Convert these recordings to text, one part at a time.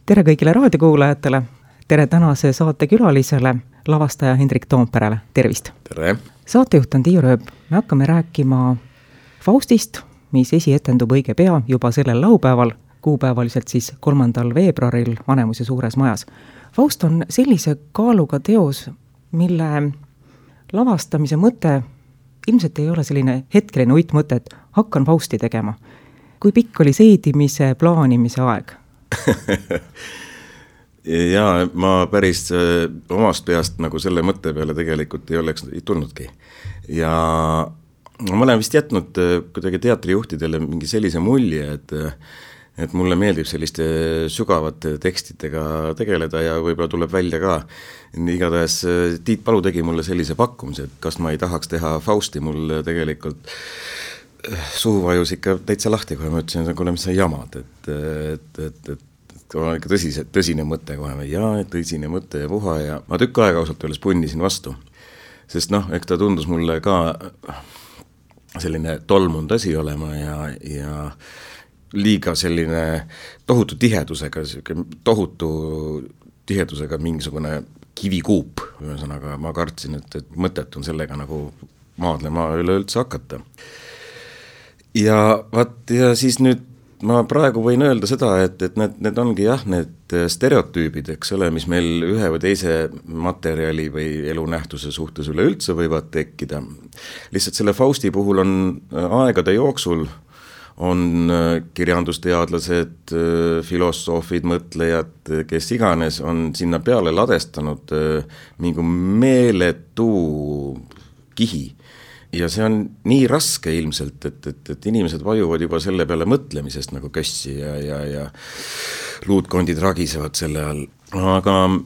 Tere kõigile raadiokuulajatele, tere tänase saate külalisele, lavastaja Hendrik Toomperele, tervist! Tere! Saatejuht on Tiiu Rööp, me hakkame rääkima Faustist, mis esietendub õige pea juba sellel laupäeval, kuupäevaliselt siis 3. veebruaril Vanemuise suures majas. Faust on sellise kaaluga teos, mille lavastamise mõte ilmselt ei ole selline hetkeline uitmõte, et hakkan Fausti tegema. Kui pikk oli seedimise, plaanimise aeg? Jaa, ma päris omast peast nagu selle mõtte peale tegelikult ei oleks tulnudki. Ja ma olen vist jätnud kuidagi teatrijuhtidele mingi sellise mulje, et mulle meeldib selliste sügavate tekstidega tegeleda ja võib-olla tuleb välja ka. Igatahes Tiit Palu tegi mulle sellise pakkumise, et kas ma ei tahaks teha Fausti, mul tegelikult suhu vajus ikka täitsa lahti, kui ma ütlesin, et kuule, mis sa jamad, et on ikka tõsine mõte kohe, jaa, tõsine mõte ja puha ja ma tükk aega ausalt öeldes punnisin vastu, sest eks ta tundus mulle ka selline tolmunud asi olema ja liiga selline tohutu tihedusega mingisugune kivikuup, ühesõnaga ma kartsin, et mõtet on sellega nagu maadlema üleüldse hakata. Ja siis nüüd ma praegu võin öelda seda, et need ongi need stereotüübid, eks ole, mis meil ühe või teise materiali või elunähtuse suhtes üleüldse võivad tekkida. Lihtsalt selle Fausti puhul on aegade jooksul on kirjandusteadlased, filosoofid, mõtlejad, kes iganes on sinna peale ladestanud mingi meeletu kihi. Ja see on nii raske ilmselt, et inimesed vajuvad juba selle peale mõtlemisest nagu kössi ja luutkondid ragisevad selle all. Aga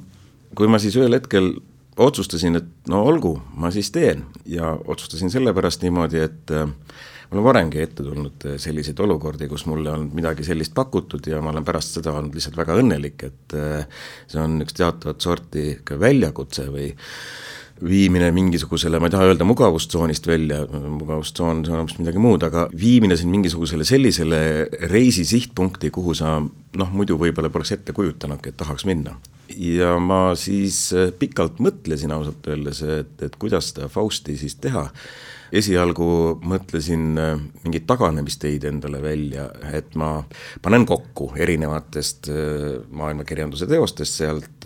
kui ma siis ühel hetkel otsustasin, et no olgu, ma siis teen ja otsustasin sellepärast niimoodi, et mul on varemgi ette tulnud selliseid olukordi, kus mulle on midagi sellist pakutud ja ma olen pärast seda olnud lihtsalt väga õnnelik, et see on üks teatavat sorti väljakutse või viimine mingisugusele, ma ei taha öelda mugavustsoonist välja, mugavustsoon on midagi muud, aga viimine siin mingisugusele sellisele reisi sihtpunkti, kuhu sa muidu võib-olla poleks ette kujutanudki, et tahaks minna. Ja ma siis pikalt mõtlesin ausalt öeldes, et kuidas seda Fausti siis teha. Esialgu mõtlesin mingid taganemisteid endale välja, et ma panen kokku erinevatest maailmakirjanduse teostest sealt,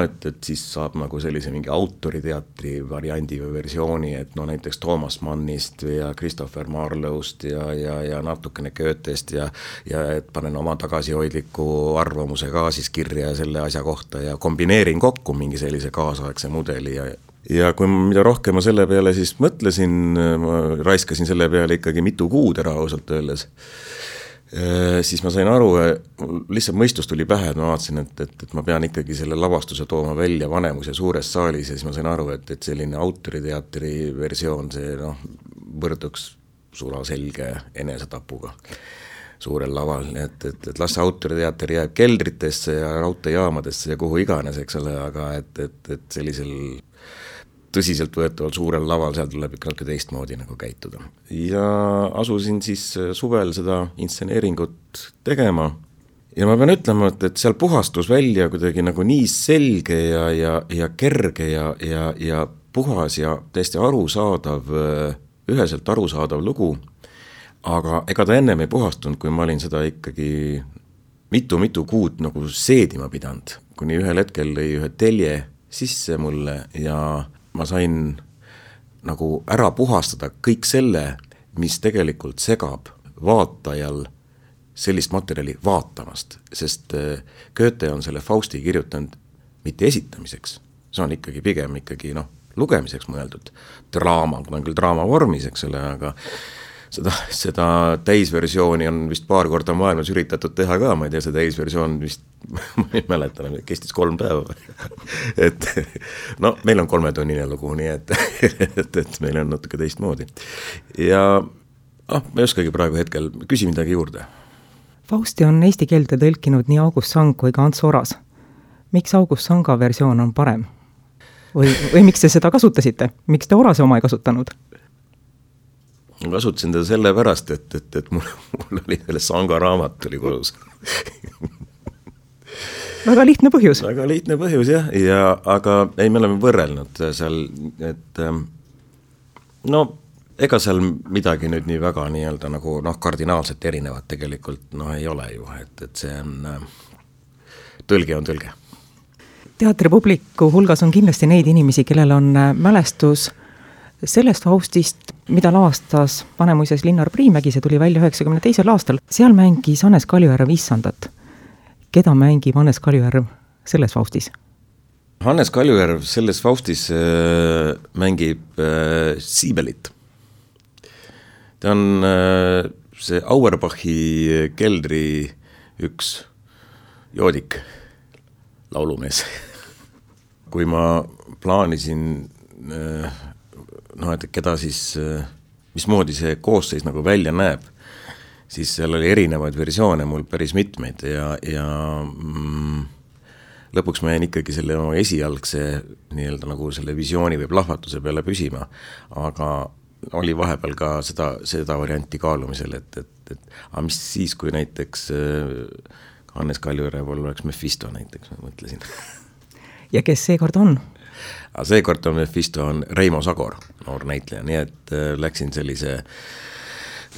et siis saab nagu sellise mingi autoriteatri variandi või versiooni, et näiteks Toomas Mannist ja Christopher Marlowest ja natukene Goethest ja et panen oma tagasihoidliku arvamuse ka siis kirja selle asja kohta ja kombineerin kokku mingi sellise kaasaegse mudeli ja kui mida rohkem ma selle peale siis mõtlesin, ma raiskasin selle peale ikkagi mitu kuud ära ausalt öeldes, siis ma sain aru, lihtsalt mõistus tuli pähe, et ma vaatasin, et ma pean ikkagi selle lavastuse tooma välja Vanemuise suures saalis ja siis ma sain aru, et selline autoriteatri versioon, see võrduks sulaselge enesetapuga suurel laval, et las autoriteater jääb keldritesse ja raudteejaamadesse ja kuhu iganes, eks ole, aga et sellisel tõsiselt võetaval suurel laval, seal tuleb ikka natuke teistmoodi nagu käituda. Ja asusin siis suvel seda intseneeringut tegema ja ma pean ütlema, et seal puhastus välja kuidagi nagu nii selge ja kerge ja puhas ja täiesti arusaadav, üheselt arusaadav lugu, aga ega ta ennem ei puhastunud, kui ma olin seda ikkagi mitu kuud nagu seedima pidanud, kuni ühel hetkel lõi ühe telje sisse mulle ja ma sain nagu ära puhastada kõik selle, mis tegelikult segab vaatajal sellist materjali vaatamast, sest Goethe on selle Fausti kirjutanud mitte esitamiseks, see on ikkagi pigem lugemiseks mõeldud draama, ta on küll draama vormis, eks ole, aga seda täisversiooni on vist paar korda maailmas üritatud teha ka, ma ei tea, see täisversioon vist, ma ei mäleta, kestis 3 päeva. Et meil on 3-tunnine lugu, nii et meil on natuke teistmoodi. Ja ma ei oskagi praegu hetkel, küsi midagi juurde. Fausti on eesti keelde tõlkinud nii August Sang kui ka Ants Oras. Miks August Sanga versioon on parem? Või miks te seda kasutasite? Miks te Orase oma ei kasutanud? Ma kasutasin teda selle pärast, et mul oli selle Sanga raamat tuli kodus. väga lihtne põhjus. Väga lihtne põhjus jah, aga ei, me oleme võrrelnud seal, et no ega seal midagi nüüd nii väga nii-öelda nagu kardinaalselt erinevat tegelikult ei ole ju, et see on, tõlge on tõlge. Teatripubliku hulgas on kindlasti neid inimesi, kellel on mälestus sellest Faustist, mida lavastas Vanemuises Linnar Priimägi, see tuli välja 92. aastal. Seal mängis Hannes Kaljujärv issandat. Keda mängib Hannes Kaljujärv selles Faustis? Hannes Kaljujärv selles Faustis mängib Siibelit. Ta on see Auerbachi keldri üks joodik, laulumees. Kui ma plaanisin, et keda siis, mismoodi see koosseis nagu välja näeb, siis seal oli erinevaid versioone mul päris mitmeid ja lõpuks ma jäin ikkagi selle esialgse nii-öelda nagu selle visiooni või plahvatuse peale püsima, aga oli vahepeal ka seda varianti kaalumisel, et mis siis, kui näiteks Hannes Kaljujärv oleks Mephisto näiteks, ma mõtlesin. Ja kes seekord on? Seekord on Mephisto on Reimo Sagor, noor näitleja, nii et läksin sellise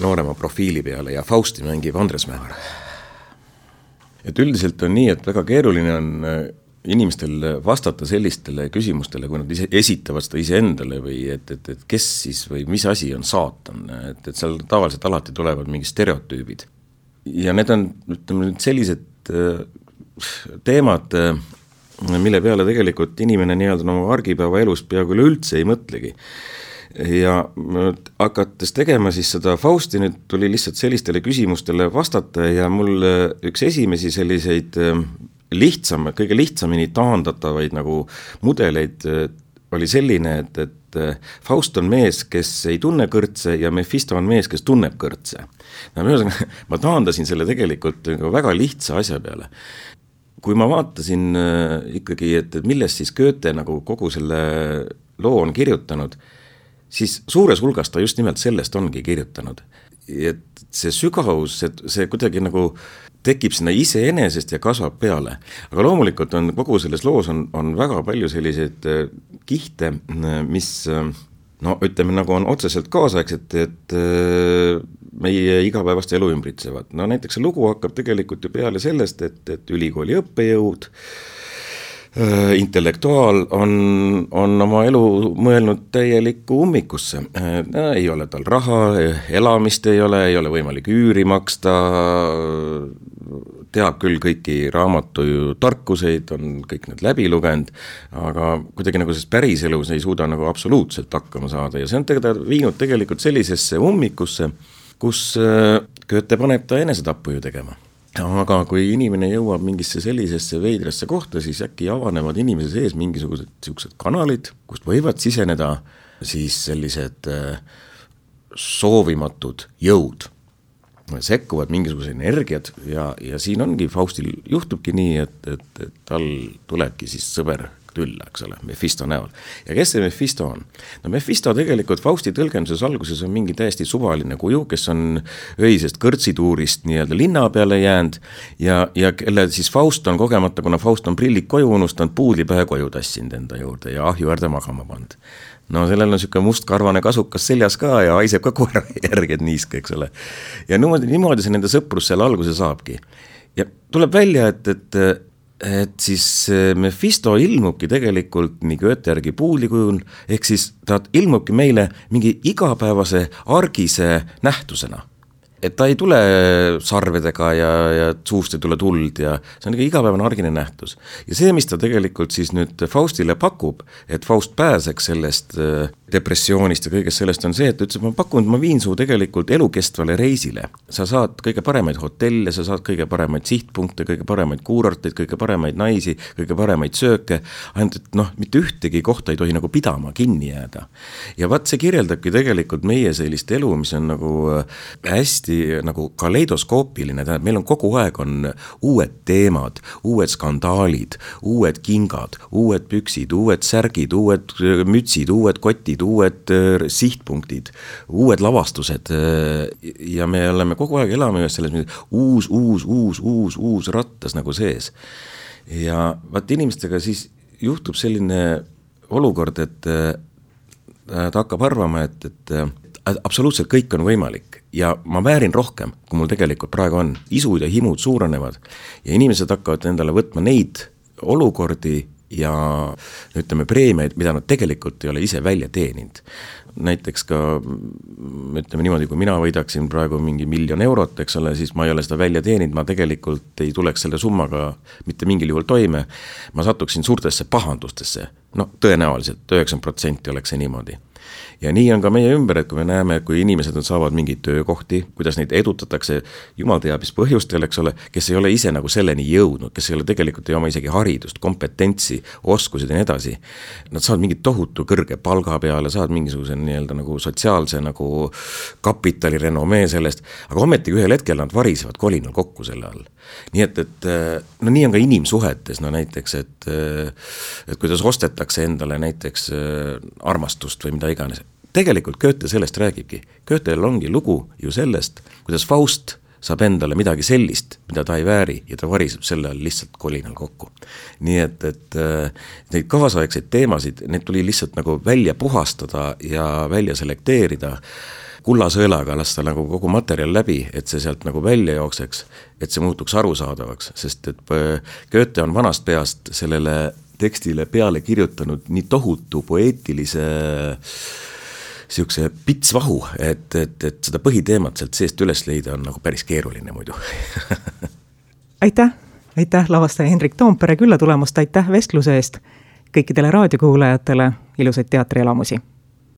noorema profiili peale ja Fausti mängib Andres Mähar. Et üldiselt on nii, et väga keeruline on inimestel vastata sellistele küsimustele, kui nad esitavad seda iseendale või et kes siis või mis asi on saatan, et seal tavaliselt alati tulevad mingid stereotüübid. Ja need on, ütleme, sellised teemad, mille peale tegelikult inimene nii-öelda argipäeva elus peaaegu üldse ei mõtlegi. Ja hakates tegema siis seda Fausti, nüüd tuli lihtsalt sellistele küsimustele vastata ja mul üks esimesi selliseid kõige lihtsamini taandatavaid nagu mudeleid oli selline, et Faust on mees, kes ei tunne kõrtse ja Mephisto on mees, kes tunneb kõrtse. Ma taandasin selle tegelikult väga lihtsa asja peale. Kui ma vaatasin ikkagi, et millest siis Goethe nagu kogu selle loo on kirjutanud, siis suures hulgas ta just nimelt sellest ongi kirjutanud. Et see sügavus, see kuidagi nagu tekib sinna iseenesest ja kasvab peale. Aga loomulikult on kogu selles loos on väga palju selliseid kihte, mis ütleme nagu on otseselt kaasaegset, et meie igapäevast elu ümbritsevad. Näiteks see lugu hakkab tegelikult ju peale sellest, et ülikooli õppejõud, intellektuaal on oma elu mõelnud täielikku ummikusse. Ei ole tal raha, elamist ei ole võimalik üüri maksta, teab küll kõiki raamatu tarkuseid, on kõik need läbi lugenud, aga kuidagi nagu sest päris elus ei suuda nagu absoluutselt hakkama saada ja see on viinud tegelikult sellisesse ummikusse, kus Goethe paneb ta enesetappu ju tegema. Aga kui inimene jõuab mingisse sellisesse veidrasse kohta, siis äkki avanevad inimese sees mingisugused siuksed kanalid, kust võivad siseneda siis sellised soovimatud jõud. Sekkuvad mingisugused energiad ja siin ongi Faustil juhtubki nii, et tal tulebki siis sõber külla, eks ole, Mephisto näol. Ja kes see Mephisto on? Mephisto tegelikult Fausti tõlgenduses alguses on mingi täiesti suvaline kuju, kes on öisest kõrtsituurist nii-öelda linna peale jäänud ja kelle siis Faust on kogemata, kuna Faust on prillid koju unustanud, puudlipähe koju tassinud enda juurde ja ahju äärde magama pand. Sellel on siuke mustkarvane kasukas seljas ka ja haiseb ka koera järgi, et niiske, eks ole. Ja niimoodi see nende sõprus seal alguse saabki. Ja tuleb välja, et siis Mephisto ilmubki tegelikult nii Goethe järgi puulikujul, ehk siis ta ilmubki meile mingi igapäevase argise nähtusena. Et ta ei tule sarvedega ja suust ei tule tuld ja see on igapäevane argine nähtus. Ja see, mis ta tegelikult siis nüüd Faustile pakub, et Faust pääseks sellest depressioonist ja kõigest sellest on see, et ütles, ma pakun, ma viin su tegelikult elukestvale reisile. Sa saad kõige paremaid hotelle, sa saad kõige paremaid sihtpunkte, kõige paremaid kuurorteid, kõige paremaid naisi, kõige paremaid sööke, ainult et mitte ühtegi kohta ei tohi nagu pidama kinni jääda. Ja vaat see kirjeldabki tegelikult meie sellist elu, mis on nagu hästi nagu kaleidoskoopiline, tähendab, meil on kogu aeg on uued teemad, uued skandaalid, uued kingad, uued püksid, uued särgid, uued mütsid, uued kotid, uued sihtpunktid, uued lavastused ja me oleme kogu aeg elame ühes selles uus rattas nagu sees. ja vaat inimestega siis juhtub selline olukord, et ta hakkab arvama, et absoluutselt kõik on võimalik ja ma väärin rohkem, kui mul tegelikult praegu on. Isud ja himud suurenevad ja inimesed hakkavad endale võtma neid olukordi ja ütleme preemiaid, mida nad tegelikult ei ole ise välja teeninud. Näiteks ka, ütleme niimoodi, kui mina võidaksin praegu mingi 1 000 000 eurot, eks ole, siis ma ei ole seda välja teeninud, ma tegelikult ei tuleks selle summaga mitte mingil juhul toime, ma satuksin suurtesse pahandustesse, no tõenäoliselt 90% oleks see niimoodi. Ja nii on ka meie ümber, et kui me näeme, kui inimesed saavad mingeid töökohti, kuidas neid edutatakse, jumal teab mis põhjustel, eks ole, kes ei ole ise nagu selleni jõudnud, kes ei ole tegelikult ei oma isegi haridust, kompetentsi, oskused ja nii edasi. Nad saavad mingit tohutu kõrge palga peale, saavad mingisuguse nii-öelda nagu sotsiaalse nagu kapitali renomee sellest, aga ometigi ühel hetkel nad varisevad kolinal kokku selle all. Nii et no nii on ka inimsuhetes, no näiteks, et kuidas ostetakse endale näiteks armastust või mida iganes. Tegelikult Goethe sellest räägibki. Goethel ongi lugu ju sellest, kuidas Faust saab endale midagi sellist, mida ta ei vääri ja ta variseb selle all lihtsalt kolinal kokku. Nii et neid kaasaegseid teemasid, need tuli lihtsalt nagu välja puhastada ja välja selekteerida, kullasõelaga lasta nagu kogu materjal läbi, et see sealt nagu välja jookseks, et see muutuks arusaadavaks, sest et Goethe on vanast peast sellele tekstile peale kirjutanud nii tohutu poeetilise siukse pitsvahu, et seda põhiteemat sealt seest üles leida on nagu päris keeruline muidu. Aitäh lavastaja Hendrik Toompere külla tulemast, aitäh vestluse eest kõikidele raadiokuulajatele, ilusaid teatrielamusi!